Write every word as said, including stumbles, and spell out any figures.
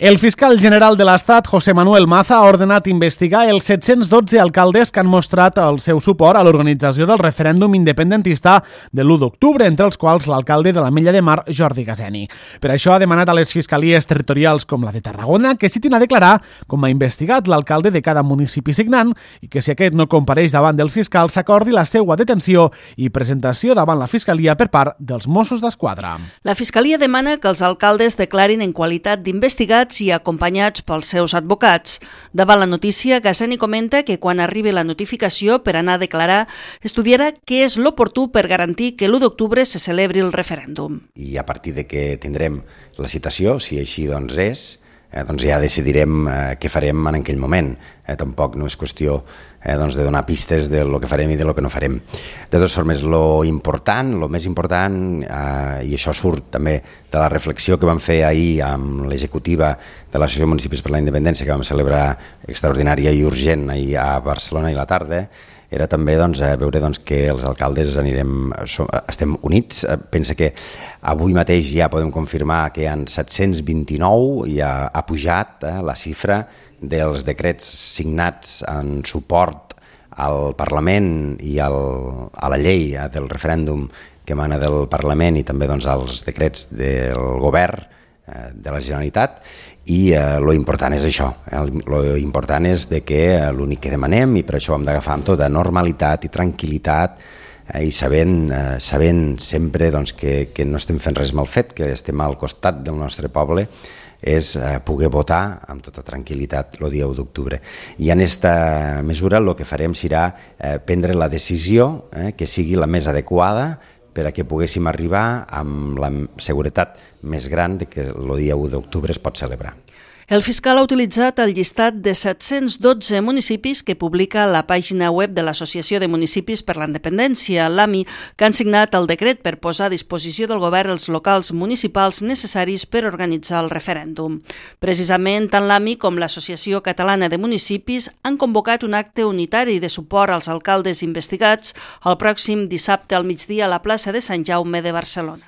El fiscal general de l'Estat, José Manuel Maza, ha ordenat investigar els set-cents dotze alcaldes que han mostrat el seu suport a l'organització del referèndum independentista de l'u d'octubre, entre els quals l'alcalde de l'Ametlla de Mar, Jordi Gaseni. Per això ha demanat a les fiscalies territorials com la de Tarragona que citin a declarar com ha investigat l'alcalde de cada municipi signant i que si aquest no compareix davant del fiscal s'acordi la seva detenció i presentació davant la fiscalia per part dels Mossos d'Esquadra. La fiscalia demana que els alcaldes declarin en qualitat d'investigats i acompanyats pels seus advocats. Davant la notícia, Gaseni comenta que quan arribi la notificació per anar a declarar, estudiarà què és l'oportú per garantir que l'u d'octubre se celebri el referèndum. I a partir de que tindrem la citació, si així doncs és, eh, doncs ja decidirem eh, què farem en aquell moment. Eh, tampoc no és qüestió eh, doncs de donar pistes de lo que farem i de lo que no farem. De totes formes, lo important, lo més important, eh, i això surt també de la reflexió que vam fer ahir amb l'executiva de l'Associació de Municipis per la Independència, que vam celebrar extraordinària i urgent ahir a Barcelona i la tarda, era també doncs, veure doncs, que els alcaldes anirem, som, estem units. Pensa que avui mateix ja podem confirmar que hi ha set-cents vint-i-nou, ja ha pujat eh, la xifra dels decrets signats en suport al Parlament i al, a la llei eh, del referèndum que emana del Parlament i també doncs, als decrets del govern eh, de la Generalitat. I eh, lo important és això, eh, lo important és de que eh, l'únic que demanem, i per això ho hem d'agafar amb tota normalitat i tranquil·litat eh, i sabent, eh, sabent sempre doncs, que, que no estem fent res mal fet, que estem al costat del nostre poble, és eh, poder votar amb tota tranquil·litat el dia u d'octubre. I en aquesta mesura el que farem serà eh, prendre la decisió eh, que sigui la més adequada per a que poguéssim arribar amb la seguretat més gran de que el dia u d'octubre es pot celebrar. El fiscal ha utilitzat el llistat de set-cents dotze municipis que publica la pàgina web de l'Associació de Municipis per la Independència, l'A M I, que han signat el decret per posar a disposició del govern els locals municipals necessaris per organitzar el referèndum. Precisament, tant l'A M I com l'Associació Catalana de Municipis han convocat un acte unitari de suport als alcaldes investigats el pròxim dissabte al migdia a la plaça de Sant Jaume de Barcelona.